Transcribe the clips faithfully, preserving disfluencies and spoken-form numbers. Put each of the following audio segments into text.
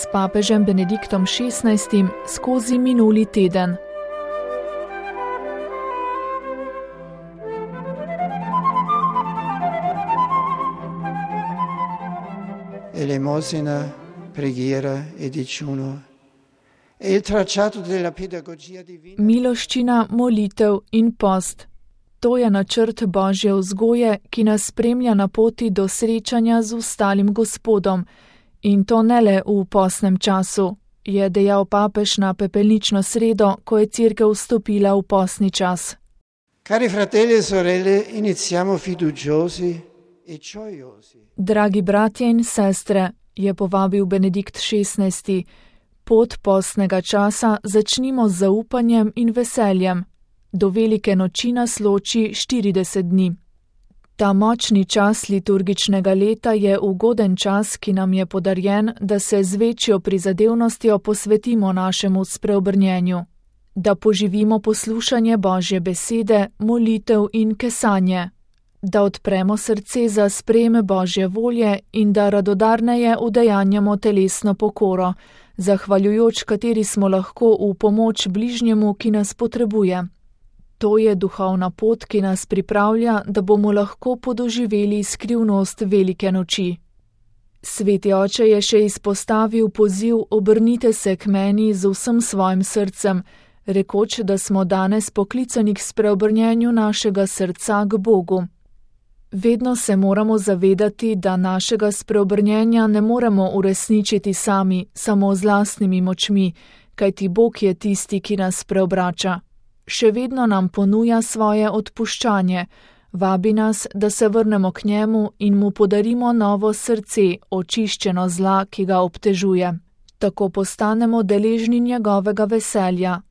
s papežem Benediktom šestnajstim skozi minuli teden. Elemosina, preghiera e digiuno. È il tracciato della pedagogia divina. Miloščina, molitev in post. To je načrt Božje vzgoje, ki nas spremlja na poti do srečanja z ustalim Gospodom. In to ne le v postnem času, je dejal papež na pepelnično sredo, ko je cerkev vstopila v postni čas. Cari fratelli e sorelle, iniziamo fiduciosi e gioiosi. Dragi bratje in sestre, je povabil Benedikt šestnajsti, pot postnega časa začnimo z zaupanjem in veseljem. Do velike noči nas loči štirideset dni. Ta močni čas liturgičnega leta je ugoden čas, ki nam je podarjen, da se z večjo prizadevnostjo posvetimo našemu spreobrnjenju, da poživimo poslušanje Božje besede, molitev in kesanje, da odpremo srce za sprejem Božje volje in da radodarneje udejanjamo telesno pokoro, zahvaljujoč kateri smo lahko v pomoč bližnjemu, ki nas potrebuje. To je duhovna pot, ki nas pripravlja, da bomo lahko podoživeli skrivnost velike noči. Sveti oče je še izpostavil poziv obrnite se k meni z vsem svojim srcem, rekoč, da smo danes poklicani k spreobrnjenju našega srca k Bogu. Vedno se moramo zavedati, da našega spreobrnjenja ne moremo uresničiti sami, samo z lastnimi močmi, kajti Bog je tisti, ki nas preobrača. Še vedno nam ponuja svoje odpuščanje, vabi nas, da se vrnemo k njemu in mu podarimo novo srce, očiščeno zla, ki ga obtežuje. Tako postanemo deležni njegovega veselja.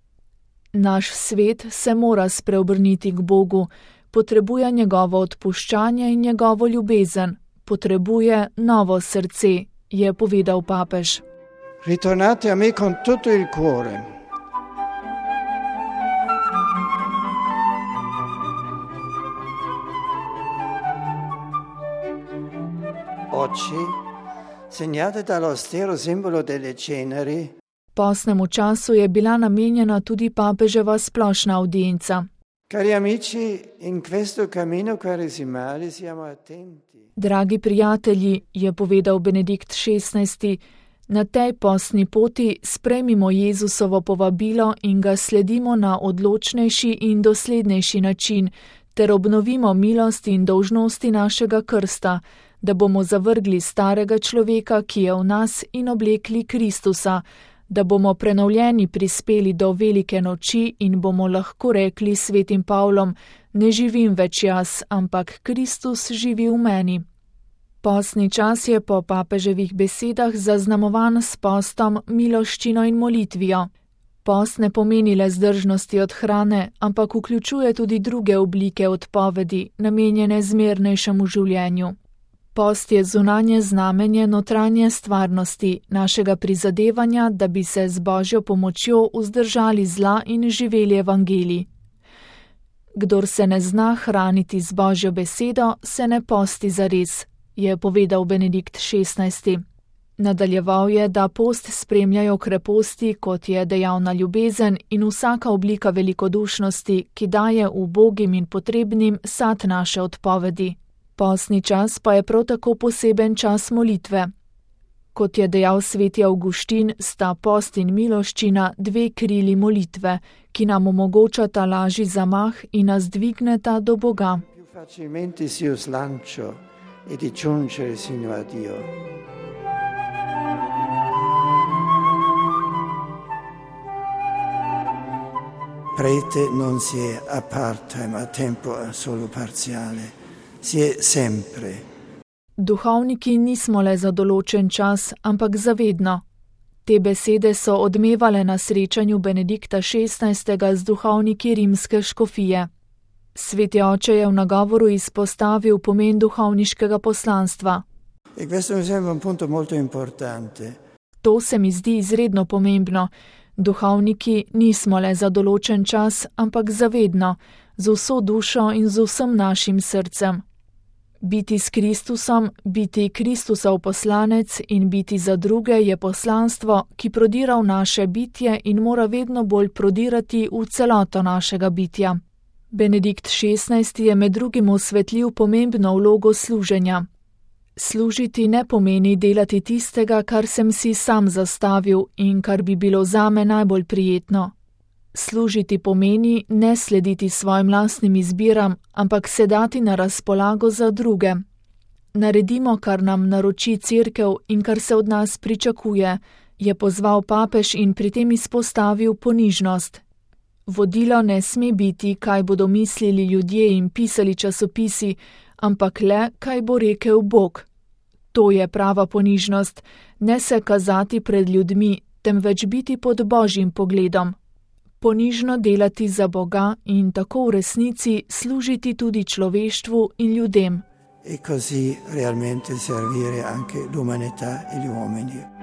Naš svet se mora spreobrniti k Bogu, potrebuje njegovo odpuščanje in njegovo ljubezen, potrebuje novo srce, je povedal papež. Ritornate a me con tutto il cuore. Oggi, segnate dall'austero simbolo delle ceneri, Postnemu času je bila namenjena tudi papeževa splošna audienca. cari amici, in questo cammino quaresimale siamo attenti. Dragi prijatelji, je povedal Benedikt šestnajsti, na tej postni poti sprejmimo Jezusovo povabilo in ga sledimo na odločnejši in doslednejši način, ter obnovimo milost in dolžnosti našega krsta, da bomo zavrgli starega človeka, ki je v nas, in oblekli Kristusa, da bomo prenovljeni prispeli do velike noči in bomo lahko rekli svetim Pavlom, ne živim več jaz, ampak Kristus živi v meni. Postni čas je po papeževih besedah zaznamovan s postom, miloščino in molitvijo. Post ne pomeni le zdržnosti od hrane, ampak vključuje tudi druge oblike odpovedi, namenjene zmernejšemu življenju. Post je zunanje znamenje notranje stvarnosti, našega prizadevanja, da bi se z Božjo pomočjo vzdržali zla in živeli evangelij. Kdor se ne zna hraniti z Božjo besedo, se ne posti zares, je povedal Benedikt šestnajsti. Nadaljeval je, da post spremljajo kreposti, kot je dejavna ljubezen in vsaka oblika velikodušnosti, ki daje ubogim in potrebnim sad naše odpovedi. Postni čas pa je prav tako poseben čas molitve. Kot je dejal sveti Avguštin, sta post in miloščina dve krili molitve, ki nam omogočata lažji zamah in nas dvigneta do Boga. Più facilmente si slancio e di giungere sino a Dio. Prete non si è a part-time, a tempo solo parziale. Si è sempre. Duhovniki nismo le za določen čas, ampak zavedno. Te besede so odmevale na srečanju Benedikta šestnajstega z duhovniki rimske škofije. Sveti oče je v nagovoru izpostavil pomen duhovniškega poslanstva. E questo mi sembra un punto molto importante. To se mi zdi izredno pomembno. Duhovniki nismo le za določen čas, ampak zavedno, z vso dušo in z vsem našim srcem. Biti s Kristusom, biti Kristusov poslanec in biti za druge je poslanstvo, ki prodira v naše bitje in mora vedno bolj prodirati v celoto našega bitja. Benedikt šestnajsti je med drugim osvetlil pomembno vlogo služenja. Služiti ne pomeni delati tistega, kar sem si sam zastavil in kar bi bilo zame najbolj prijetno. Služiti pomeni ne slediti svojim lastnim izbiram, ampak se dati na razpolago za druge. Naredimo, kar nam naroči cerkev in kar se od nas pričakuje, je pozval papež in pri tem izpostavil ponižnost. Vodilo ne sme biti, kaj bodo mislili ljudje in pisali časopisi, ampak le, kaj bo rekel Bog. To je prava ponižnost, ne se kazati pred ljudmi, temveč biti pod Božjim pogledom. Ponižno delati za Boga in tako v resnici služiti tudi človeštvu in ljudem. E così realmente servire anche l'umanità e gli uomini.